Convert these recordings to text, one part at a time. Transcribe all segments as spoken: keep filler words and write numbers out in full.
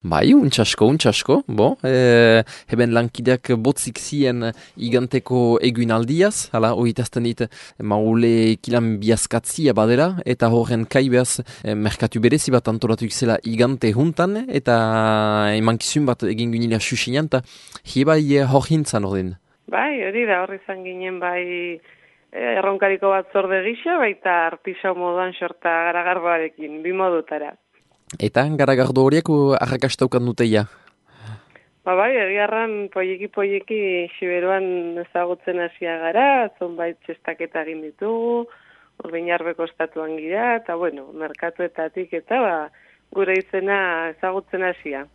Bai, untxasko, untxasko, bo, e, heben lankideak botzik zien iganteko eguinaldiaz, hala, oitazten dit, maule kilan biazkatzia badera, eta horren kaibeaz e, merkatu berezi bat antolatu zela igante juntan, eta emankizun bat egin ginila xuxinan, eta hibai hor hintzan ordin. Bai, hori da, horri izan ginen bai eh, erronkariko bat zorde gisa, baita artisau moduan sorta garagarbarekin, bi modutara. Eta garagardo horiek arrakastaukan duteia. Ba bai, egiarran poieki-poieki Siberuan ezagutzen hasia gara, zonbait txestaketa egin ditugu, Urbinarbeko estatuan gira, eta bueno, merkatuetatik eta ba, gure izena ezagutzen hasia.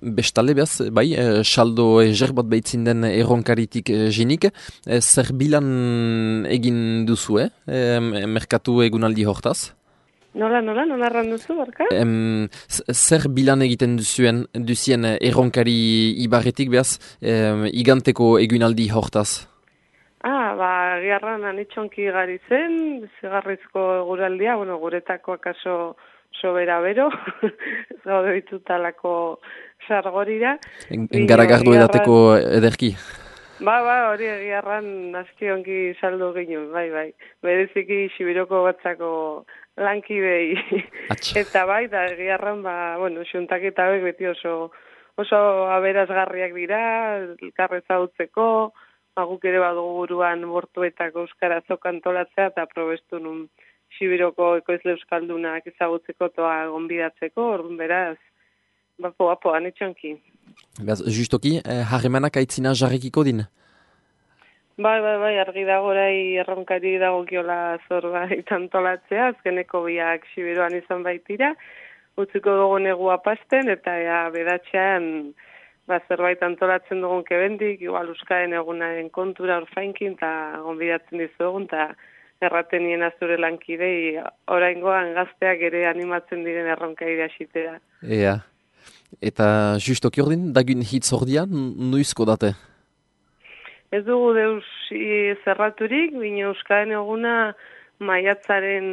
Bestalde behaz, bai, e, saldo ezer bat behitzin den erronkaritik e, jinik, e, zer bilan egin duzu, eh? E, merkatu egunaldi hortaz? Nola, nola, nola erran duzu, barka? Em, zer bilan egiten duzuen, duzien erronkari ibarretik behaz, em, iganteko egunaldi hortaz? Ah, ba, giarran anitxonki gari zen, zigarrizko eguraldia, bueno, guretako akaso sobera bero, ez gaude ditutalako sargorira. Garagardo edateko ederki? Ba, ba, hori egiarran aski onki saldu ginen, bai, bai. Bereziki Sibiroko batzako lankidei. Eta bai, da egiarran, ba, bueno, xuntaketa hauek beti oso, oso aberazgarriak dira, elkarreza utzeko, guk ere badugu buruan bortuetako euskara zokantolatzea, eta probestu nun Sibiroko ekoizle euskaldunak ezagutzeko toa gonbidatzeko, orduan beraz, bapo, bapo, anetxonki. Beaz, justoki, eh, harremanak aitzina jarrekiko din? Bai, bai, bai, argi dagorai erronkari dagokiola zorbait antolatzea, azkeneko biak Siberuan izan baitira, utziko dugu negua pasten, eta ja, bedatxean ba, zerbait antolatzen dugun kebendik, igual Euskaren egunaren kontura orfainkin, eta gonbidatzen dizugun, eta erraten nien azure lankidei, oraingoan gazteak ere animatzen diren erronkari asitera. Ea, eta justoki ordin, dagun hitz ordian, nuizko date? Ez dugu deus zerraturik, bine Euskaren eguna maiatzaren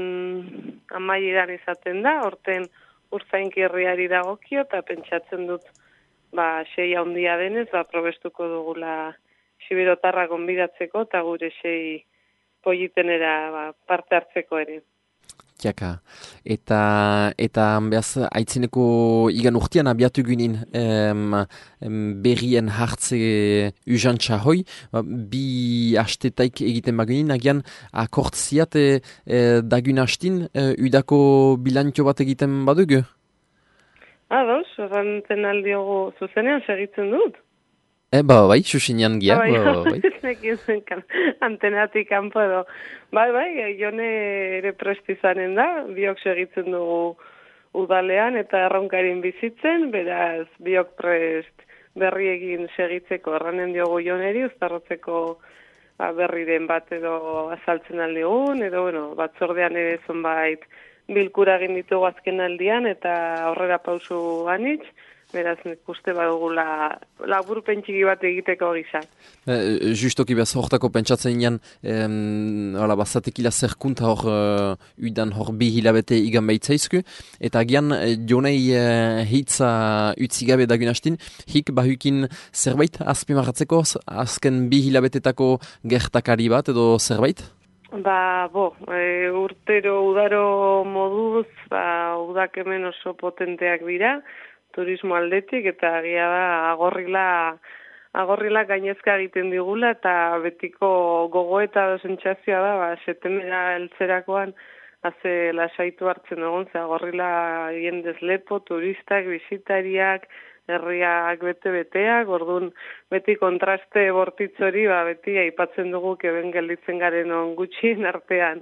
amaieran izaten da, horten urzainki herriari dagokio, eta pentsatzen dut ba, sei handia denez, ba, probestuko dugula Siberotarra gonbidatzeko, eta gure sei politenera ba, parte hartzeko ere. Tiaka, eta, eta behaz, aitzineko igan urtean abiatu ginen em, em, berrien hartze uzantxa hoi, bi hastetaik egiten bagunin, agian akortziat e, e, dagun hastin e, udako bilantio bat egiten badugu? Ados, errantzen aldiogu zuzenean segitzen dut. E, ba, bai, susinean gia. Bai, ba, bai. bai. Antenatik kanpo edo. Bai, bai, jone ere prestizanen da, biok segitzen dugu udalean eta erronkarin bizitzen, beraz biok prest berri egin segitzeko erranen diogu joneri, uztarrotzeko ba, berriren bat edo azaltzen aldigun, edo bueno, batzordean ere zonbait bilkura egin ditugu azken aldian eta aurrera pausu anitz, beraz, nik uste badugula labur pentsiki bat egiteko gisa. E, justoki behaz hortako pentsatzen inan, bazatekila zerkunta hor uh, udan hor bi hilabete igan behitzaizku, eta agian jonei uh, hitza utzigabe dagun hastin, hik bahukin zerbait azpimarratzeko azken bi hilabetetako gertakari bat edo zerbait? Ba, bo, e, urtero udaro moduz, ba, udak hemen oso potenteak dira, turismo aldetik, eta agia da agorrila, agorrila gainezka egiten digula, eta betiko gogo eta sentsazioa da, ba, setemera eltzerakoan, haze lasaitu hartzen dugun, ze agorrila jendez lepo, turistak, bisitariak, herriak bete-beteak, orduan beti kontraste bortitzori, ba, beti aipatzen dugu keben gelditzen garen on gutxien artean.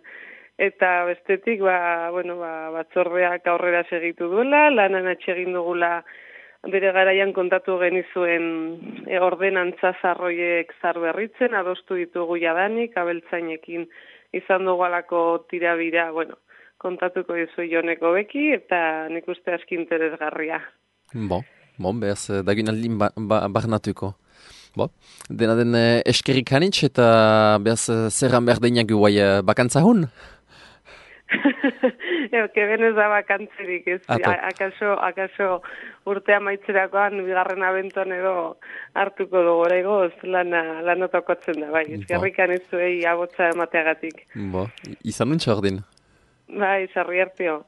Eta bestetik, ba, bueno, ba, batzordeak aurrera segitu duela, lanan atxegin dugula bere garaian kontatu genizuen e, ordenantza zarroiek zarberritzen, adostu ditugu jadanik, abeltzainekin izan dugu alako tirabira, bueno, kontatuko dizu joneko beki, eta nik uste aski interesgarria. Bo, bon, behaz, dagun aldin ba, ba, barnatuko. Bo, dena den eskerik hanitz, eta behaz, zerran behar deinak guai bakantza hun? Keben ez da bakantzerik, ez, Ato. akaso, akaso urtea maitzerakoan, bigarren abenton edo hartuko dugu oraingoz lana, lanotokotzen da, bai, eskerrikan ez zuei abotza emateagatik. Bo, izan nuntza ordin. Bai, sarri hartio.